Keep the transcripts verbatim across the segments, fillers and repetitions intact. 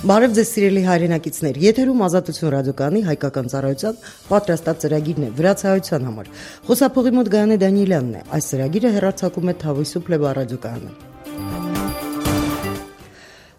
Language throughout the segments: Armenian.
Բարև ձեզ սիրելի հայրենակիցներ, եթերում Ազատություն ռադիոկայանի հայկական ծառայության պատրաստած ծրագիրն է վրացահայության համար։ Խոսափողի մոտ Գայանե Դանիելյանն է։ Այս ծրագիրը հեռարձակում է Թավոյ Սուփլեբա ռադիոկայանը։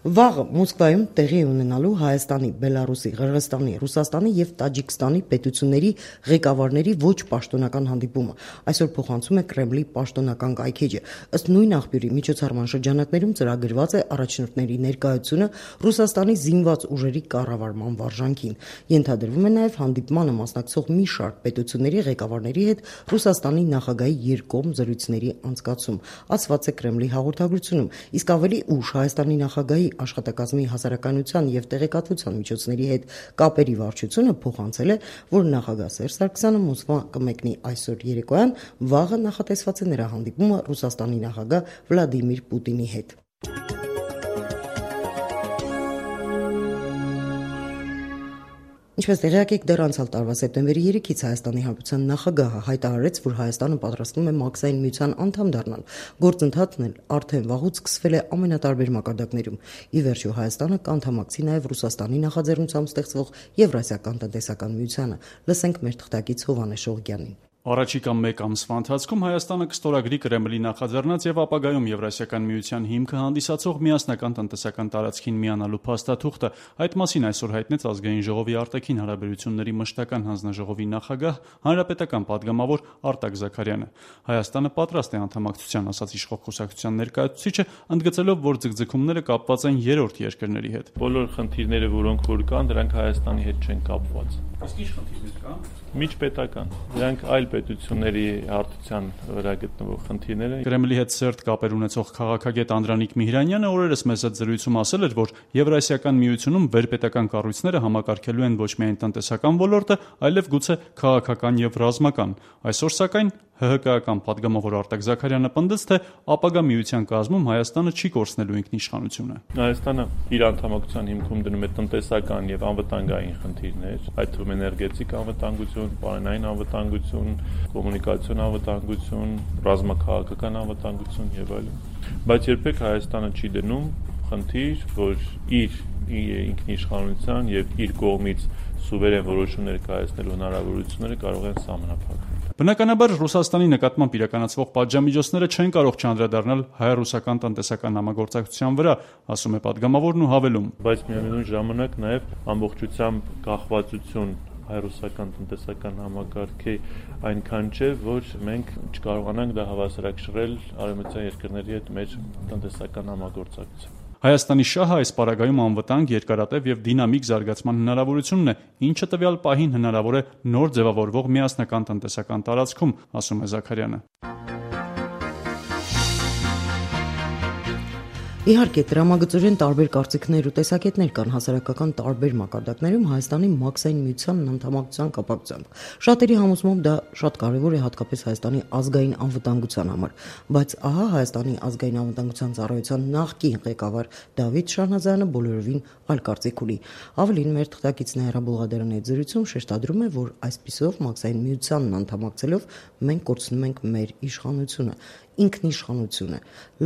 Վաղը Մոսկվայում տեղի ունենալու Հայաստանի, Բելարուսի, Ղրղստանի, Ռուսաստանի և Տաջիկստանի պետությունների ղեկավարների ոչ պաշտոնական հանդիպումը այսօր փոխանցում է Կրեմլի պաշտոնական կայքէջը։ Ըստ նույն աղբյուրի միջոցառման շրջանակներում ծրագրված է առաջնորդների ներկայությունը Ռուսաստանի զինված ուժերի կառավարման վարժանքին։ Ենթադրվում է նաև հանդիպմանը մասնակցող մի շարք պետությունների ղեկավարների հետ Ռուսաստանի նախագահի երկկողմ զրույցների անցկացում, ասված է Կրեմլի հաղորդագրությունում, իսկ ավելի ուշ Հայաստանի նախագահի աշխատակազմի հասարակայնության և տեղեկատվության միջոցների հետ կապերի վարչությունը փոխանցել է, որ նախագահ Սերժ Սարգսյանը Մոսկվա կմեկնի այսօր երեկոյան, վաղը նախատեսված է նրա հանդիպումը Ռուսաստանի նախագահ Վլադիմիր Պուտինի հետ։ Ինչպես տեղյակ եք, դեռ անցյալ տարվա սեպտեմբերի երեքից Հայաստանի Հանրապետության նախագահը հայտարարեց, որ Հայաստանը պատրաստվում է Մաքսային միության անդամ դառնալ։ Գործընթացն էլ արդեն վաղուց սկսվել է ամենատարբեր մակարդակներում։ Ի վերջո Հայաստանը կանդամակցի նաև Ռուսաստանի նախաձեռնությամբ ստեղծվող Եվրասիական տնտեսական միությանը։ Լսենք մեր թղթակից Հովհաննես Շողոկյանին։ Առաջիկա մեկ ամսվա ընթացքում Հայաստանը կստորագրի Կրեմլի նախաձեռնած եւ ապագայում Եվրասիական միության հիմքը հանդիսացող միասնական տնտեսական տարածքին միանալու փաստաթուղթը։ Այդ մասին այսօր հայտնեց Ազգային ժողովի արտաքին հարաբերությունների մշտական հանձնաժողովի նախագահ, հանրապետական падգամավոր Արտակ Զաքարյանը։ Հայաստանը պատրաստ է անդամակցության, ասաց իշխող կուսակցության ներկայացուցիչը, ընդգծելով, որ ձգձգումները կապված են երրորդ երկրների հետ։ Բոլոր խնդիրները, որոնք որ կան, դրանք Հայաստանի հետ չեն կապված։ Իսկ ինչ խնդիրներ կան։ Միջպետական, դրանք այլ պետությունների հարթության վրա գտնվող խնդիրներ են։ Կրեմլի հետ սերտ կապեր ունեցող քաղաքագետ Անդրանիկ Միհրանյանը օրերս մեծ զրույցում ասել էր, որ Եվրասիական միությունում վերպետական կառույցները համակարգելու են ոչ միայն տնտեսական ոլորտը, այլև գուցե քաղաքական եւ ռազմական։ Այսօր սակայն ՀՀԿ-ական падգամավոր Արտակ Զաքարյանը պնդեց, թե ապագա միության կազմում Հայաստանը չի կորցնելու ինքնիշխանությունը։ Հայաստանը իր անդամակցության հիմքում դնում է տնտեսական եւ անվտանգային խնդիրներ, այդ թվում էներգետիկ անվտանգություն, պարենային անվտանգություն, կոմունիկացիոն անվտանգություն, ռազմաքաղաքական անվտանգություն եւ այլն։ Բայց երբեք Հայաստանը չի դնում խնդիր, որ իր ինքնիշխանության եւ իր կողմից սուվերեն որոշումներ կայացնելու հնարավորությունները կարող են սահմանափակվել։ Բնականաբար Ռուսաստանի նկատմամբ իրականացվող պատժամիջոցները չեն կարող չանդրադառնալ հայ-ռուսական տնտեսական համագործակցության վրա, ասում է падգամավորն ու հավելում։ Բայց միևնույն ժամանակ նաև ամբողջությամբ կախվածություն հայ-ռուսական տնտեսական համակարգի այնքան չէ, որ մենք չկարողանանք դա հավասարակշռել արևմտյան երկրների հետ մեր տնտեսական համագործակցություն։ Հայաստանի շահը այս պարագայում անվտանգ, երկարատև եւ դինամիկ զարգացման հնարավորությունն է, ինչը տվյալ պահին հնարավոր է նոր ձևավորվող միասնական տնտեսական տարածքում, ասում է Զաքարյանը։ Իհարկե, տրամագծորեն տարբեր կարծիքներ ու տեսակետներ կան հասարակական տարբեր մակարդակներում Հայաստանի Մաքսային միության անդամակցության կապակցությամբ։ Շատերի համոզմամբ դա շատ կարևոր է հատկապես Հայաստանի ազգային անվտանգության համար, բայց ահա Հայաստանի ազգային անվտանգության ծառայության նախկին ղեկավար Դավիթ Շահնազարյանը բոլորովին այլ կարծիք ունի։ Ավելին, մեր թղթակիցն Հերա Բուլղադարյանի հետ զրույցում շեշտադրում է, որ այսպիսով Մաքսային միությանն անդամակցելով մենք կորցնում ենք մեր իշխանությունը, ինքնիշխանությունը։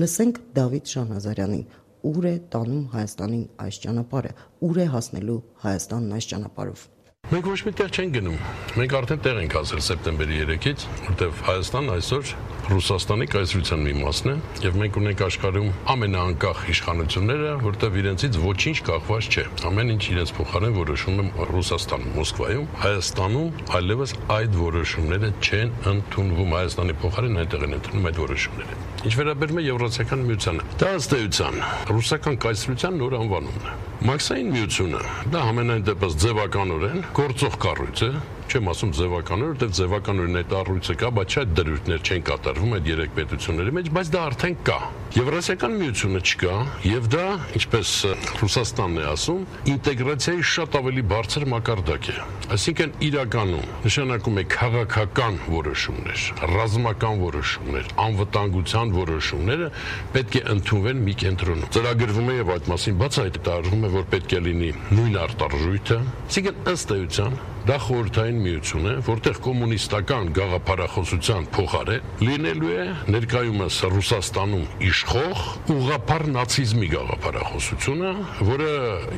Լսենք Դավիթ Շահնազարյանին, ուր է տանում Հայաստանին այս ճանապարհը, ուր է հասնելու Հայաստանն այս ճանապարհով։ Մենք ոչ մի տեղ չենք գնում։ Մենք արդեն տեղ ենք հասել սեպտեմբերի երեքից, որտեղ Հայաստանն այսօր Ռուսաստանի կայսրության մի մասն է, եւ մենք ունենք աշխարհում ամենաանկախ իշխանությունները, որտեղ իրենցից ոչինչ կախված չէ։ Ամեն ինչ իրենց փոխարեն որոշում է Ռուսաստանում, Մոսկվայում, Հայաստանում այլևս այդ որոշումները չեն ընդունվում։ Հայաստանի փոխարեն այնտեղ են ընդունում այդ որոշումները։ Ինչ վերաբերում է Եվրասիական միությանը, դա ըստ էության ռուսական կայսրության նոր անվանումն է։ Մաքսային միությունը դա ամենայն դեպս ձևականորեն գործող կառույց է, չեմ ասում ձևականորեն, որտեղ ձևականորեն այդ առույցը կա, բայց այդ դրույթներ չեն կատարվում այդ երեք պետությունների մեջ, բայց դա արդեն կա։ Եվրասիական միությունը չկա, եւ դա, ինչպես Ռուսաստանն է ասում, ինտեգրացիայի շատ ավելի բարձր մակարդակ է։ Այսինքն իրականում նշանակում է քաղաքական որոշումներ, ռազմական որոշումներ, անվտանգության որոշումները պետք է ընդունվեն մի կենտրոնում։ Ծրագրվում է եւ այդ մասին բացահայտարարվում է, որ պետք է լինի նույն արտարժույթը, այսինքն ըստ էության դա խորհրդային միություն է, որտեղ կոմունիստական գաղափարախոսության փոխարեն լինելու է ներկայումս Ռուսաստանում իշխող ուղղափառ նացիզմի գաղափարախոսությունը, որը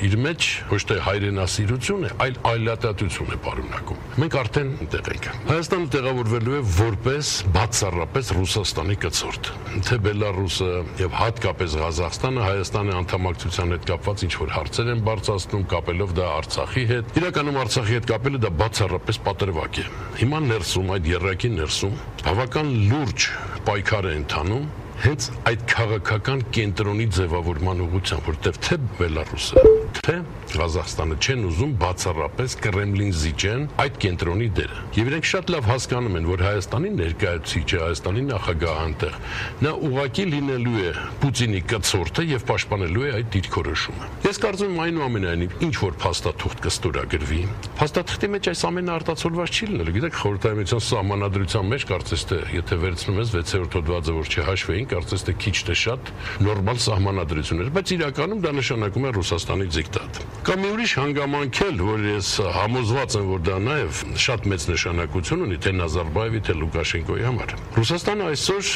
իր մեջ ոչ թե հայրենասիրություն է, այլ այլատատություն է պարունակում։ Մենք արդեն այնտեղ ենք։ Հայաստանը տեղավորվելու է որպես բացառապես Ռուսաստանի կցորդ։ Թե Բելարուսը եւ հատկապես Ղազախստանը Հայաստանի անդամակցության հետ կապված ինչ-որ հարցեր են բարձրացնում, կապելով դա Արցախի հետ։ Իրականում Արցախի հետ կապելը դա բացառապես պատրվակ է։ Հիմա ներսում, այդ եռակի ներսում բավական լուրջ պայքար է ընթանում հենց այդ քաղաքական կենտրոնի ձևավորման ուղղությամբ, որտեղ թե Բելարուսը, թե Ղազախստանը չեն ուզում բացառապես Կրեմլին զիջեն այդ կենտրոնի դերը։ Եվ իրենք շատ լավ հասկանում են, որ Հայաստանի ներկայացուցիչը, Հայաստանի նախագահը այնտեղ նա ուղղակի լինելու է Պուտինի կցորդը եւ պաշտպանելու է այդ դիրքորոշումը։ Ես կարծում եմ այնուամենայնիվ ինչ որ փաստաթուղթ կստորագրվի, փաստաթղթի մեջ այս ամենը արտացոլված չի լինելու։ Գիտեք, խորհրդային միության սահմանադրության մեջ կարծես թե եթե վերցնում ես վեցերորդ հոդվածը, որ չհաշվեին, կարծես թե քիչ թե շատ նորմալ սահմանադրություններ, բայց իրականում դա նշանակում է Ռուսաստանի դիկտատ։ Կամ մի ուրիշ հանգամանք էլ, որ ես համոզված եմ, որ դա նաև շատ մեծ նշանակություն ունի թե Նազարբաևի, թե Լուկաշենկոյի համար։ Ռուսաստանը այսօր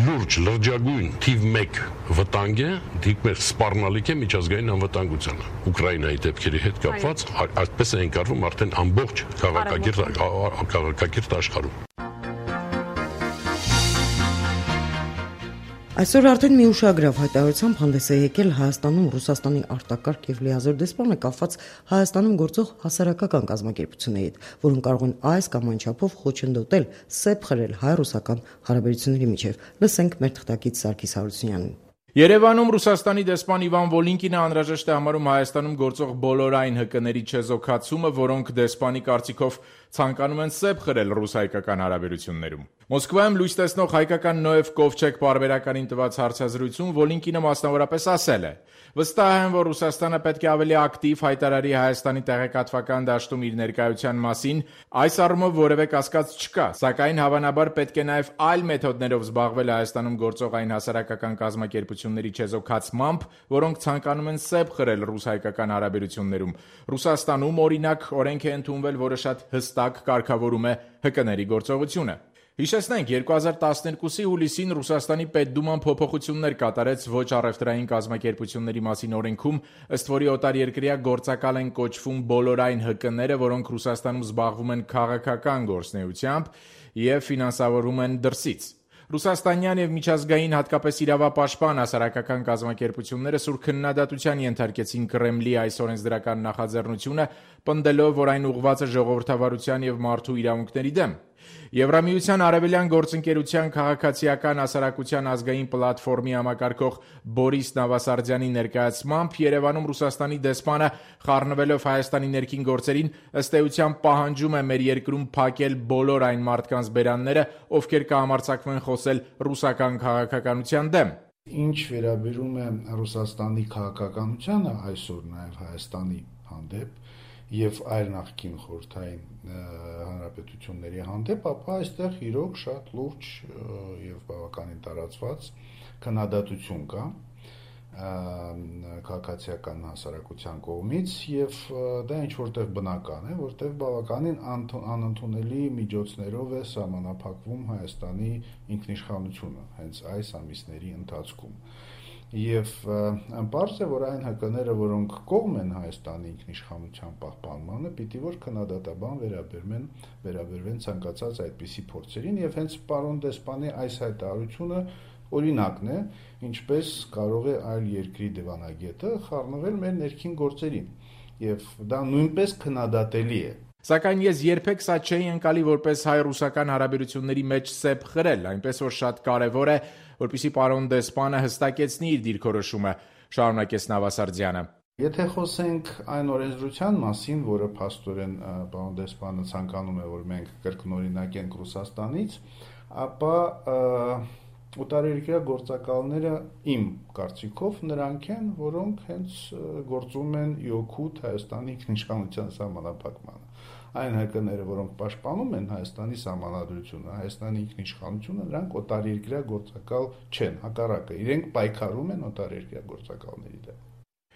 լուրջ լրջագույն թիվ մեկ վտանգ է, թիվ մեկ սպառնալիք է միջազգային անվտանգությանը։ Ուկրաինայի դեպքերի հետ կապված այդպես է ընկալվում արդեն ամբողջ քաղաքակիրթ քաղաքակիրթ աշխարհում։ Այսօր արդեն մի ուշագրավ հայտարարությամբ հանդես է եկել Հայաստանում Ռուսաստանի արտակարգ եւ լիազոր դեսպանը կապված Հայաստանում գործող հասարակական կազմակերպությունների հետ, որոնք կարող են այս կամ այն չափով խոչընդոտել, սեպ խրել հայ-ռուսական հարաբերությունների միջև։ Լսենք մեր թղթակից Սարգիս Հարությունյանին։ Երևանում Ռուսաստանի դեսպան Իվան Վոլինկինը անհրաժեշտ է համարում Հայաստանում գործող բոլոր այն հկների չեզոքացումը, որոնք դեսպանի կարծիքով ցանկանում են սեպ խրել ռուս-հայկական հարաբերություններում։ Մոսկվայում լույս տեսնող հայկական Նոև Կովչեկ պարբերականին տված հարցազրույցում Վոլինկինը մասնավորապես ասել է. «Վստահ եմ, որ Ռուսաստանը պետք է ավելի ակտիվ հայտարարի Հայաստանի տեղեկատվական դաշտում իր ներկայության մասին, այս առումով որևէ կասկած չկա, սակայն հավանաբար պետք է նաև այլ մեթոդներով զբաղվել Հայաստանում գործող այն հասարակական կազմակերպությունների չեզոքացմամբ, որոնք ցանկանում են սեպ խրել ռուս-հայկական հարաբերություններում։ Ռուսաստանում, օրինակ, օրենք է ընդունվել, որը շատ հստակ կարգավորում է հկների գործողությունը»։ Հիշեցնենք, երկու հազար տասներկուսի հուլիսին Ռուսաստանի Պետդուման փոփոխություններ կատարեց ոչ առևտրային կազմակերպությունների մասին օրենքում, ըստ որի օտարերկրյա գործակալ են կոչվում բոլոր այն հկները, որոնք Ռուսաստանում զբաղվում են քաղաքական գործունեությամբ եւ ֆինանսավորվում են դրսից։ Ռուսաստանյան եւ միջազգային հատկապես իրավապաշտպան հասարակական կազմակերպությունները սուր քննադատության ենթարկեցին Կրեմլի այս օրենսդրական նախաձեռնությունը, պնդելով, որ այն ուղղված է ժողովրդավարության եւ մարդու իրավունքների դեմ։ Եվրամիության արևելյան գործընկերության քաղաքացիական հասարակության ազգային պլատֆորմի համակարգող Բորիս Նավասարդյանի ներկայացմամբ Երևանում Ռուսաստանի դեսպանը խառնվելով Հայաստանի ներքին գործերին ըստ էության պահանջում է մեր երկրում փակել բոլոր այն մարդկանց բերանները, ովքեր կհամարձակվեն խոսել ռուսական քաղաքականության դեմ։ Ինչ վերաբերում է Ռուսաստանի քաղաքականությանը այսօր նաև Հայաստանի հանդեպ եւ այլ նախկին խորհրդային հանրապետությունների հանդեպ, ապա այստեղ իրոք շատ լուրջ եւ բավականին տարածված քննադատություն կա քաղաքացիական հասարակության կողմից եւ դա ինչ որտեղ բնական է, որտեղ բավականին անընդունելի միջոցներով է սահմանափակվում Հայաստանի ինքնիշխանությունը հենց այս ամիսների ընթացքում։ Եվ պարզ է, որ այն հկները, որոնք կողմ են Հայաստանի ինքնիշխանության պահպանմանը, պիտի որ քննադատաբան վերաբերվեն, վերաբերվեն ցանկացած այդպիսի փորձերին եւ հենց պարոն դեսպանի այս հայտարարությունը օրինակն է, ինչպես կարող է այլ երկրի դիվանագետը խառնվել մեր ներքին գործերին եւ դա նույնպես քննադատելի է։ Սակայն ես երբեք սա չէի ընկալի որպես հայ-ռուսական հարաբերությունների մեջ սեպ խրել, այնպես որ շատ կարևոր է, որպեսզի պարոն դեսպանը հստակեցնի իր դիրքորոշումը, շարունակեց Նավասարդյանը։ Եթե խոսենք այն օրենսդրության մասին, որը փաստորեն պարոն դեսպանը ցանկանում է, որ մենք կրկնօրինակենք Ռուսաստանից, ապա օտարերկրյա գործակալները իմ կարծիքով նրանք են, որոնք հենց գործում են իօքուտ Հայաստանի ինքնիշխանության սահմանափակմանը։ Այն հկները, որոնք պաշտպանում են Հայաստանի սահմանադրությունը, Հայաստանի ինքնիշխանությունը, նրանք օտարերկրյա գործակալ չեն, հակառակը, իրենք պայքարում են օտարերկրյա գործակալների դեմ։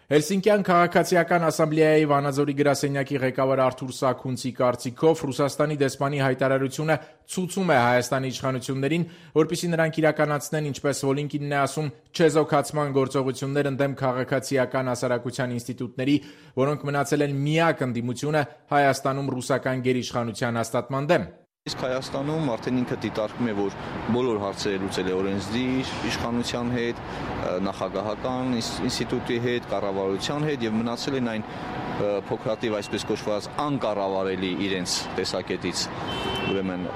Հելսինկյան քաղաքացիական ասամբլեայի Վանաձորի գրասենյակի ղեկավար Արթուր Սաքունցի կարծիքով Ռուսաստանի դեսպանի հայտարարությունը ցույցում է Հայաստանի իշխանություններին, որպեսզի նրանք իրականացնեն, ինչպես Վոլինկինն է ասում, չեզոքացման գործողություններ ընդդեմ քաղաքացիական հասարակության ինստիտուտների, որոնք մնացել են միակ ընդդիմությունը Հայաստանում ռուսական գերիշխանության հաստատման դեմ։ Իսկ Հայաստանում արդեն ինքը դիտարկում է, որ բոլոր հարցերը լուծել է օրենսդիր իշխանության հետ, նախագահական ինստիտուտի հետ, կառավարության հետ եւ մնացել են այն փոքրատիվ այսպես կոչված անկառավարելի իրենց տեսակետից ուրեմն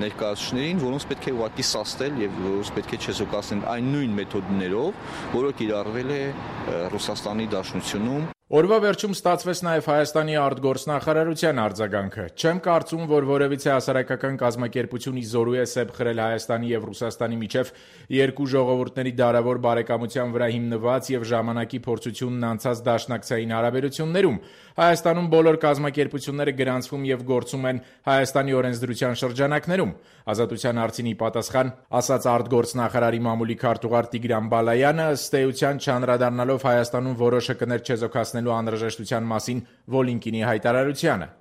ներկայացուցիչներին, որոնց պետք է ուղղակի սաստել եւ որոնց պետք է չեզոքացնել այն նույն մեթոդներով, որը կիրառվել է Ռուսաստանի Դաշնությունում։ Օրվա վերջում ստացվեց նաև Հայաստանի արտգործնախարարության արձագանքը։ Չեմ կարծում, որ որևիցե հասարակական կազմակերպություն ի զորու է սեպ խրել Հայաստանի եւ Ռուսաստանի միջև երկու ժողովուրդների դարավոր բարեկամության վրա հիմնված եւ ժամանակի փորձությունն անցած դաշնակցային հարաբերություններում։ Հայաստանում բոլոր կազմակերպությունները գրանցվում եւ գործում են Հայաստանի օրենսդրության շրջանակներում։ Ազատության հարցին ի պատասխան ասաց արտգործնախարարի մամուլի քարտուղար Տիգրան Բալայանը, ըստ էության չանդրադառնալով Հայաստանում որոշը կներ չեզոքացնելու անհրաժեշտության մասին Վոլինկինի հայտարարությանը։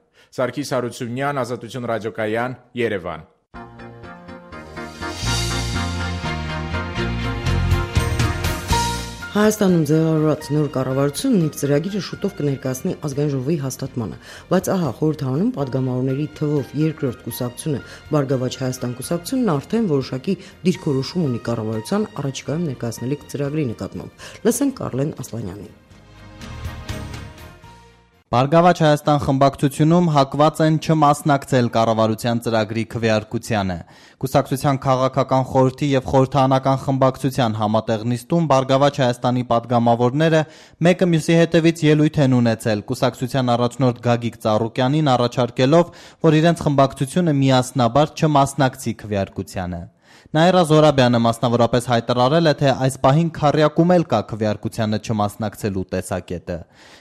Սարգիս Հարությունյան, Ազատություն ռադիոկայան, Երևան։ Հայաստանում ձևավորված նոր կառավարությունն իր ծրագիրը շուտով կներկայացնի ազգային ժողովի հաստատմանը, բայց ահա խորհրդարանում падգամավորների թվով երկրորդ կուսակցությունը Բարգավաճ Հայաստան կուսակցությունն արդեն որոշակի դիրքորոշում ունի կառավարության առաջիկայում ներկայացնելիք ծրագրի նկատմամբ։ Լսենք Կարլեն Ասլանյանին։ Բարգավաճ Հայաստան խմբակցությունում հակված են չմասնակցել կառավարության ծրագրի քվեարկությանը։ Կուսակցության քաղաքական խորհրդի եւ խորհրդարանական խմբակցության համատեղ նիստում Բարգավաճ Հայաստանի падգամավորները մեկը մյուսի հետևից ելույթ են ունեցել կուսակցության առաջնորդ Գագիկ Ծառուկյանին առաջարկելով, որ իրենց խմբակցությունը միասնաբար չմասնակցի քվեարկությանը։ Նաիրա Զորաբյանը մասնավորապես հայտարարել է, թե այս պահին քառյակում էլ կա քվեարկությանը չմասնակցելու տեսակետը։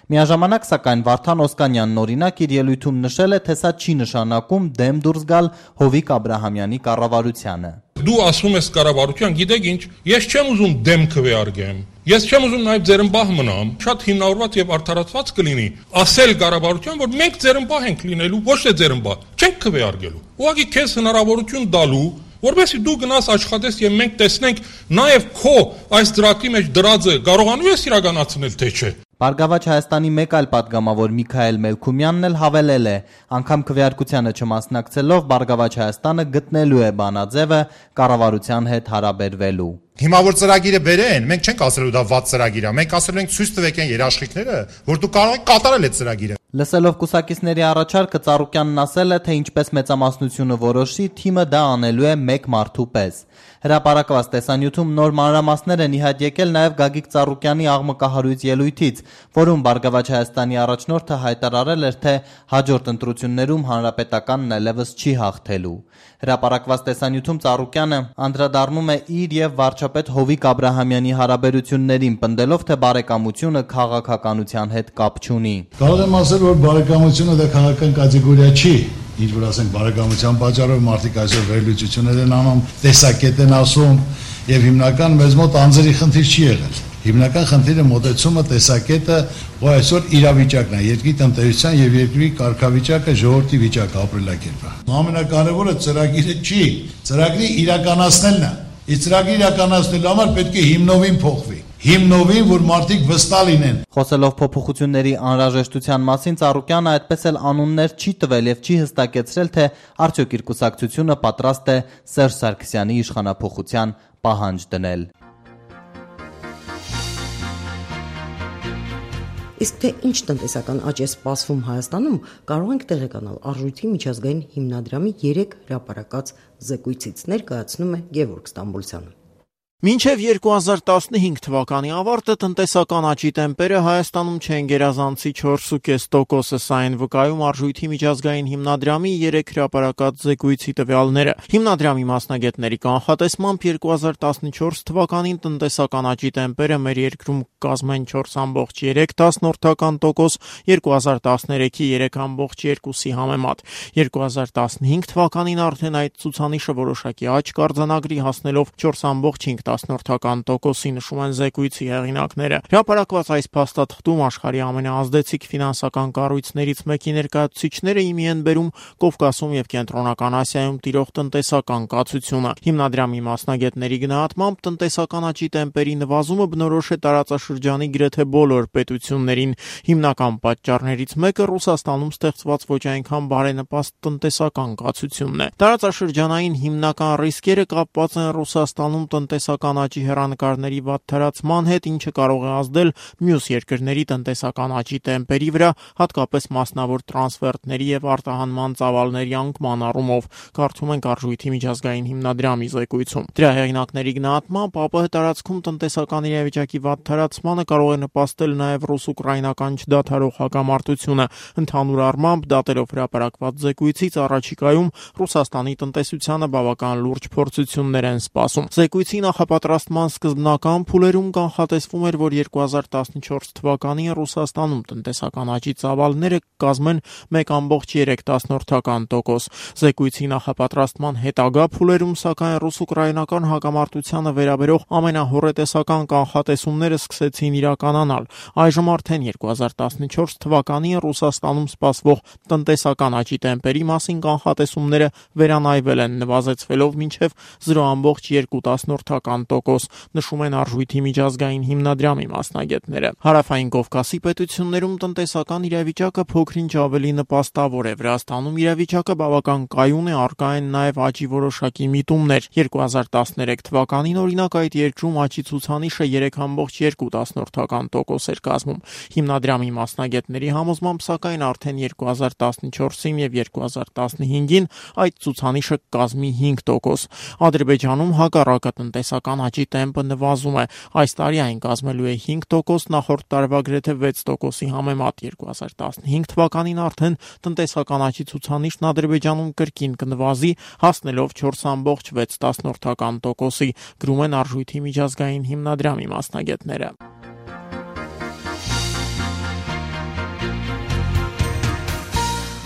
Միաժամանակ, սակայն, Վարդան Օսկանյանն օրինակ իր ելույթում նշել է, թե սա չի նշանակում դեմ դուրս գալ Հովիկ Աբրահամյանի կառավարությանը։ Դու ասում ես կառավարության, գիտեք ինչ, ես չեմ ուզում դեմ քվեարկեմ։ Ես չեմ ուզում նաև ձերմբահ մնամ, շատ հիմնավորված եւ արդարացված կլինի ասել կառավարության, որ մենք ձերմբահ ենք լինելու, ոչ թե ձերմբահ, չենք քվեարկելու։ Ուղղակի քեզ հնարավորություն տալու, որովհետեւ դու գնաս աշխատես եւ մենք տեսնենք նաեւ քո այս դրակի մեջ դրածը կարողանում ես իրականացնել թե չէ։ Բարգավաճ Հայաստանի մեկ այլ падգամավոր Միքայել Մելքումյանն էլ հավելել է, անգամ քվեարկությանը չմասնակցելով Բարգավաճ Հայաստանը գտնելու է բանաձևը կառավարության հետ հարաբերվելու։ Հիմա որ ծրագիրը բերեն, մենք չենք ասելու դա վատ ծրագիր է, մենք ասելու ենք ցույց տվեք այն երաշխիքները, որ դու կարող ես կատարել այդ ծրագիրը։ Լսելով կուսակիցների առաջարկը Ծառուկյանն ասել է, թե ինչպես մեծամասնությունը որոշի, թիմը դա անելու է մեկ մարդու պես։ Հրապարակված տեսանյութում նոր մանրամասներ են ի հայտ եկել նաև Գագիկ Ծառուկյանի աղմկահարույց ելույթից, որում Բարգավաճ Հայաստանի առաջնորդը հայտարարել էր, թե հաջորդ ընտրություններում հանրապետականն այլևս չի հաղթելու։ Հրապարակված տեսանյութում Ծառուկյանը անդրադառնում է իր եւ վարչապետ Հովիկ Աբրահամյանի հարաբերություններին, պնդելով, թե բարեկամությունը քաղաքականության հետ կապ չունի։ Կարող եմ ասել, որ բարեկամությունը դա քաղաքական կատեգորիա չի, ինչ որ ասենք բարեկամության պատճառով մարդիկ այսօր վերլուծություններ են անում, տեսակետ են ասում եւ հիմնական մեզ մոտ անձերի խնդիր չի եղել։ Հիմնական խնդիրը մոտեցումը, տեսակետը, որ այսօր իրավիճակն է, երկրի տնտեսության եւ երկրի կարգավիճակը, ժողովրդի վիճակը, ապրելակերպը։ Ամենակարևորը ծրագիրը չի, ծրագրի իրականացնելն է։ Իսկ ծրագրի իրականացնելու համար պետք է հիմնովին փոխվի։ Հիմնովին, որ մարդիկ վստահ լինեն։ Խոսելով փոփոխությունների անհրաժեշտության մասին, Ծառուկյանը այդպես էլ անուններ չի տվել եւ չի հստակեցրել, թե արդյոք իր կուսակցությունը պատրաստ է Սերժ Սարգսյանի իշխանափոխության պահանջ դնել։ Իսկ թե ինչ տնտեսական աճ է սպասվում Հայաստանում, կարող ենք տեղեկանալ Արժույթի միջազգային հիմնադրամի երեք հրապարակած զեկույցից, ներկայացնում է Գևորգ Ստամբուլցյանը։ Մինչև երկու հազար տասնհինգ թվականի ավարտը տնտեսական աճի տեմպերը Հայաստանում չեն գերազանցի չորս կόμμα պենս տոկոսը, սա են վկայում Արժույթի միջազգային հիմնադրամի երեք հրապարակած զեկույցի տվյալները։ Հիմնադրամի մասնագետների կանխատեսմամբ երկու հազար տասնչորս թվականին տնտեսական աճի տեմպերը մեր երկրում կազմեն չորս կόμma երեք տոկոս, երկու հազար տասներեքի երեք կόμma երկուսի համեմատ։ երկու հազար տասնհինգ թվականին արդեն այդ ցուցանիշը որոշակի աճ կարձանագրի, հասնելով չորս կόμma չինգ տասնորդական տոկոսի, նշում են զեկույցի հեղինակները։ Հրապարակված այս փաստաթղթում աշխարհի ամենաազդեցիկ ֆինանսական կառույցներից մեկի ներկայացուցիչները իմի են բերում Կովկասում եւ Կենտրոնական Ասիայում տիրող տնտեսական կացությունը։ Հիմնադրամի մասնագետների գնահատմամբ տնտեսական աճի տեմպերի նվազումը բնորոշ է տարածաշրջանի գրեթե բոլոր պետություններին։ Հիմնական պատճառներից մեկը Ռուսաստանում ստեղծված ոչ այնքան բարենպաստ տնտեսական կացությունն է։ Տարածաշրջանային հիմնական ռիսկերը կապված են Ռուսաստանում տնտեսական աճի հեռանկարների վատթարացման հետ, ինչը կարող է ազդել մյուս երկրների տնտեսական աճի տեմպերի վրա, հատկապես մասնավոր տրանսֆերտների եւ արտահանման ծավալների անկման առումով, կարդում ենք Արժույթի միջազգային հիմնադրամի զեկույցում։ Դրա հեղինակների գնահատմամբ ԱՊՀ տարածքում տնտեսական իրավիճակի վատթարացմանը կարող է նպաստել նաեւ ռուս-ուկրաինական չդադարող հակամարտությունը։ Ընդհանուր առմամբ, դատերով հրապարակված զեկույցից առաջիկայում Ռուսաստանի տնտեսությանը բավական լուրջ փորձություններ են սպասում։ Զեկույցի նախապատրաստման սկզբնական փուլերում կանխատեսվում էր, որ երկու հազար տասնչորս թվականին Ռուսաստանում տնտեսական աճի ծավալները կազմեն մեկ կόμma երեք տոկոս։ Զեկույցի նախապատրաստման հետագա փուլերում, սակայն ռուս-ուկրաինական հակամարտությանը վերաբերող ամենահոռետեսական կանխատեսումները սկսեցին իրականանալ։ Այժմ արդեն երկու հազար տասնչորս թվականին Ռուսաստանում սպասվող տնտեսական աճի տեմպերի մասին կանխատեսումները վերանայվել են, նվազեցվելով մինչև զրո կόμma երկու տոկոս, նշում են Արժույթի միջազգային հիմնադրամի մասնագետները։ Հարավային Կովկասի պետություններում տնտեսական իրավիճակը փոքրինչ ավելի նպաստավոր է։ Վրաստանում իրավիճակը բավական կայուն է, առկա են նաև աճի որոշակի միտումներ։ երկու հազար տասներեք թվականին օրինակ այդ երկրում աճի ցուցանիշը երեք կόμma երկու տոկոս էր կազմում։ Հիմնադրամի մասնագետների համոզմամբ, սակայն արդեն երկու հազար տասնչորսին եւ երկու հազար տասնհինգին այդ ցուցանիշը կազմի հինգ տոկոս։ Ադրբեջանում հակառակը տնտեսական աճի տեմպը նվազում է։ Այս տարի այն կազմելու է հինգ տոկոս, նախորդ տարվա գրեթե վեց տոկոսի համեմատ։ երկու հազար տասնհինգ թվականին արդեն տնտեսական աճի ցուցանիշն Ադրբեջանում կրկին կնվազի, հասնելով չորս կόμma վեց տոկոսի, գրում են Արժույթի միջազգային հիմնադրամի մասնագետները։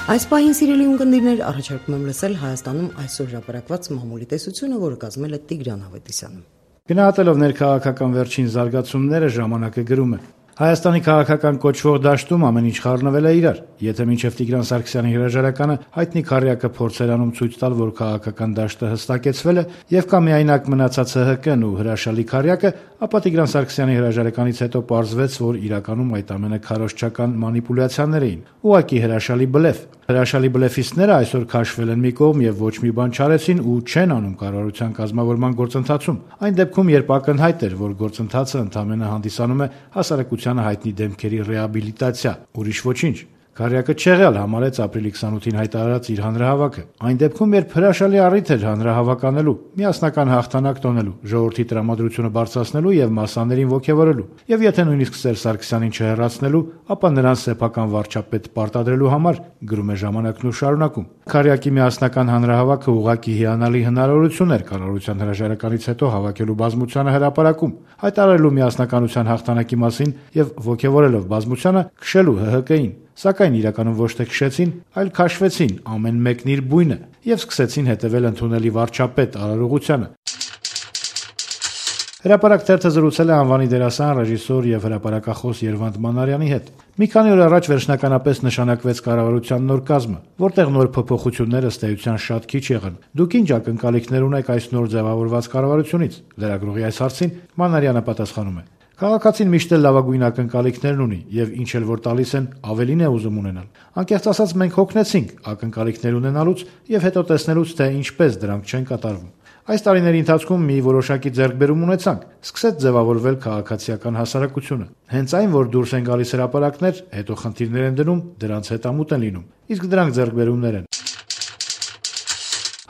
Այս պահին սիրելի ունկնդիրներ, առաջարկում եմ լսել Հայաստանում այսօր հրապարակված մամուլի տեսությունը, որը կազմել է Տիգրան Ավետիսյանը։ Գնահատելով ներքաղաքական վերջին զարգացումները, ժամանակը գրում է. Հայաստանի քաղաքական կոչվող դաշտում ամեն ինչ խառնվել է իրար։ Եթե մինչև Տիգրան Սարգսյանի հրաժարականը հայտնի քարյակը փորձեր անում ցույց տալ, որ քաղաքական դաշտը հստակեցվել է եւ կա միայնակ մնացած ՀՀԿ-ն ու հրաշալի քարյակը, ապա Տիգրան Սարգսյանի հրաժարականից հետո պարզվեց, որ իրականում այդ ամենը քարոզչական մանիպուլյացիաներ էին։ Ուղղակի հրաշալի բլեֆ։ Հրաշալի բլեֆիստները այսօր քաշվել են մի կողմ եւ ոչ մի բան չարեցին ու չեն անում կառավարության կազմավորման գործընթացում։ Այն դեպքում, երբ ակնհայտ էր, որ գործընթացը ընդամենը հանդիսանում է հասարակությանը հայտնի դեմքերի ռեաբիլիտացիա, ուրիշ ոչինչ։ Քարյակը չեղյալ համարեց ապրիլի քսանութին հայտարարած իր հանրահավաքը։ Այն դեպքում, երբ հրաշալի առիթ էր հանրահավաք անելու, միասնական հաղթանակ տոնելու, ժողովրդի տրամադրությունը բարձրացնելու եւ մասսաներին ոգևորելու, եւ եթե նույնիսկ Սերժ Սարգսյանին չհեռացնելու, ապա նրան սեփական վարչապետ պարտադրելու համար, գրում է Ժամանակն ու շարունակում։ Քարյակի միասնական հանրահավաքը ուղղակի հիանալի հնարավորություն էր կառավարության հրաժարականից հետո հավաքելու բազմությանը հրապարակում, հայտարարելու միասնականության հաղթանակի մասին եւ ոգևորելով բազմությանը քշելու ՀՀԿ-ին։ Սակայն իրականում ոչ թե քշեցին, այլ քաշվեցին ամեն մեկն իր բույնը եւ սկսեցին հետևել ընդունելի վարչապետ արարողությանը։ Հրապարակ թերթը զրուցել է անվանի դերասան, ռեժիսոր եւ հրապարակախոս Երվանդ Մանարյանի հետ։ Մի քանի օր առաջ վերջնականապես նշանակվեց կառավարության նոր կազմը, որտեղ նոր փոփոխությունները ըստ էության շատ քիչ եղան։ Դուք ինչ ակնկալիքներ ունեք այս նոր ձևավորված կառավարությունից։ Լրագրողի այս հարցին Մանարյանը պատասխանում է. Քաղաքացին միշտ էլ լավագույն ակնկալիքներն ունի եւ ինչ էլ որ տալիս են, ավելին է ուզում ունենալ։ Անկեղծ ասած, մենք հոգնեցինք ակնկալիքներ ունենալուց եւ հետո տեսնելուց, թե ինչպես դրանք չեն կատարվում։ Այս տարիների ընթացքում մի որոշակի ձեռքբերում ունեցանք, սկսեց ձևավորվել քաղաքացիական հասարակությունը։ Հենց այն, որ դուրս են գալիս հրապարակներ, հետո խնդիրներ են դնում, դրանց հետամուտ են լինում։ Իսկ դրանք ձեռքբերումներ են։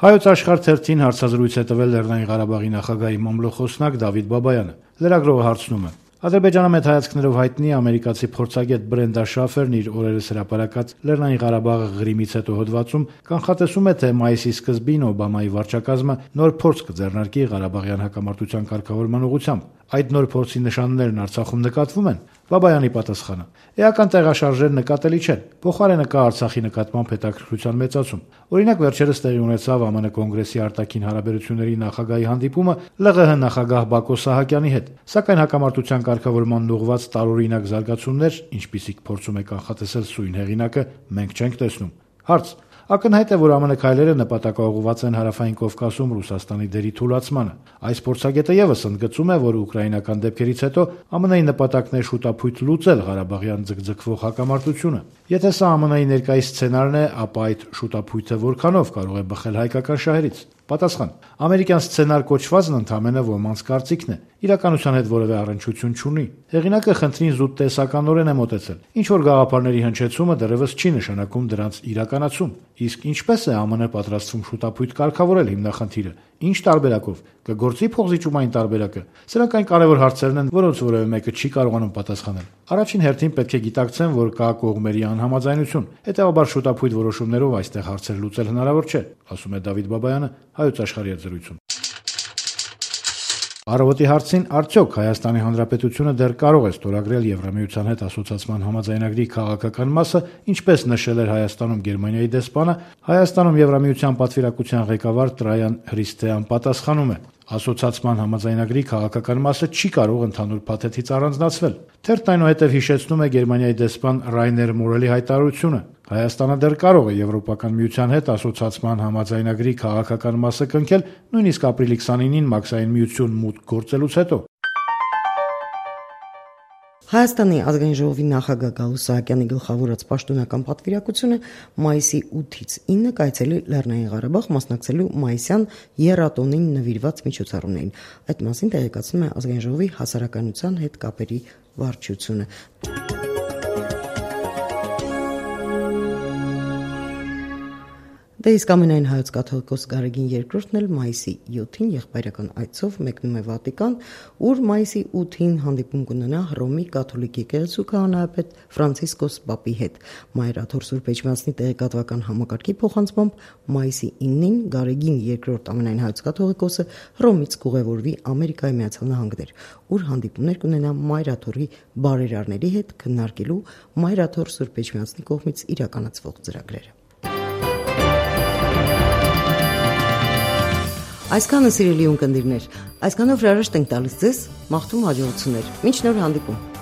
Հայոց աշխարհ թերթին հարցազրույց է տվել Լեռնային Ղարաբաղի նախագահի մամլոխոսնակ Դավիթ Բաբայանը։ Լրագրողը հարցնում է. Ադրբեջանը մեծ հայացքներով հայտնի ամերիկացի փորձագետ Բրենդա Շաֆերն իր օրերս հրապարակած Լեռնային Ղարաբաղը Ղրիմից հետո հոդվածում կանխատեսում է, թե մայիսի սկզբին Օբամայի վարչակազմը նոր փորձ կձեռնարկի Ղարաբաղյան հակամարտության կարգավորման ուղղությամբ։ Այդ նոր փորձի նշաններն Արցախում նկատվում են։ Բաբայանի պատասխանը. Էական տեղաշարժեր նկատելի չեն։ Փոխարենը կա Արցախի նկատմամբ հետաքրքրության մեծացում։ Օրինակ վերջերս տեղի ունեցավ ԱՄՆ կոնգրեսի արտաքին հարաբերությունների նախագահի հանդիպումը ԼՂՀ նախագահ Բակո Սահակյանի հետ։ Սակայն հակամարտության կարգավորման ուղղված տարօրինակ զարգացումներ, ինչպիսիք փորձում է կանխատեսել սույն հեղինակը, մենք չենք տեսնում։ Հարց. Ակնհայտ է, որ ԱՄՆ քայլերը նպատակաուղղված են Հարավային Կովկասում Ռուսաստանի դերի թուլացմանը։ Այս փորձագետը եւս ընդգծում է, որ ուկրաինական դեպքերից հետո ԱՄՆ-ի նպատակն է շուտափույթ լուծել Ղարաբաղյան ձգձգվող հակամարտությունը։ Եթե սա ԱՄՆ-ի ներկայիս սցենարն է, ապա այդ շուտափույթը որքանով կարող է բխել հայկական շահերից։ Պատասխան. ամերիկյան սցենար կոչվածն ընդամենը ոմանց կարծիքն է, իրականության հետ որևէ առնչություն չունի։ Հեղինակը խնդրին զուտ տեսականորեն է մոտեցել։ Ինչ որ գաղափարների հնչեցումը դեռևս չի նշանակում դրանց իրականացում։ Իսկ ինչպես է ԱՄՆ պատրաստվում շուտափույթ կարգավորել հիմնախնդիրը։ Ինչ տարբերակով կգործի փոխզիջումային տարբերակը։ Սրանք այն կարևոր հարցերն են, որոնց որևէ մեկը չի կարողանում պատասխանել։ Առաջին հերթին պետք է գիտակցեն, որ կա կողմերի անհամաձայնություն։ Հետևաբար շուտափույթ որոշումներով այստեղ հարցեր լուծել հնարավոր չէ, ասում է Դավիթ Բաբայանը Հայոց աշխարհի հետ զրույցում։ Առավոտի հարցին արդյոք Հայաստանի Հանրապետությունը դեռ կարող է ստորագրել Եվրամիության հետ ասոցիացման համաձայնագրի քաղաքական մասը, ինչպես նշել էր Հայաստանում Գերմանիայի դեսպանը, Հայաստանում Եվրամիության պատվիրակության ղեկավար Տրայան Հրիստեան պատասխանում է. Ասոցիացման համաձայնագրի քաղաքական մասը չի կարող ընդհանուր փաթեթից առանձնացվել։ Թերթն այնուհետև հիշեցնում է Գերմանիայի դեսպան Ռայներ Մորելի հայտարարությունը. Հայաստանը դեռ կարող է Եվրոպական միության հետ ասոցիացման համաձայնագրի քաղաքական մասը կնքել նույնիսկ ապրիլի քսանինին Մաքսային միություն մուտք գործելուց հետո։ Հայաստանի ազգային ժողովի նախագահ Գալուստ Սահակյանի գլխավորած պաշտոնական պատվիրակությունը մայիսի ութից ինը կայցելի Լեռնային Ղարաբաղ մասնակցելու մայիսյան եռատոնին նվիրված միջոցառումներին։ Այդ մասին տեղեկացնում է ազգային ժողովի հասարակայնության հետ կապերի վարչությունը։ Դե իսկ ամենայն հայոց կաթողիկոս Գարեգին երկրորդն էլ մայիսի յոթին եղբայրական այցով մեկնում է Վատիկան, ուր մայիսի ութին հանդիպում կունենա Հռոմի կաթոլիկ եկեղեցու քահանայապետ Ֆրանցիսկոս Պապի հետ։ Մայրաթոր Սուրբ Էջմիածնի տեղեկատվական համակարգի փոխանցմամբ մայիսի ինին Գարեգին երկրորդ ամենայն հայոց կաթողիկոսը Հռոմից կուղևորվի Ամերիկայի Միացյալ Նահանգներ, ուր հանդիպումներ կունենա Մայրաթորի բարերարների հետ քննարկելու Մայրաթոր Սուրբ Էջմիածնի կողմից իրականացվող ծրագրերը։ Այսքանը սիրելի ունկնդիրներ, այսքանով հրաժեշտ ենք տալիս ձեզ, մաղթում հաջողություններ, մինչ նոր հանդիպում։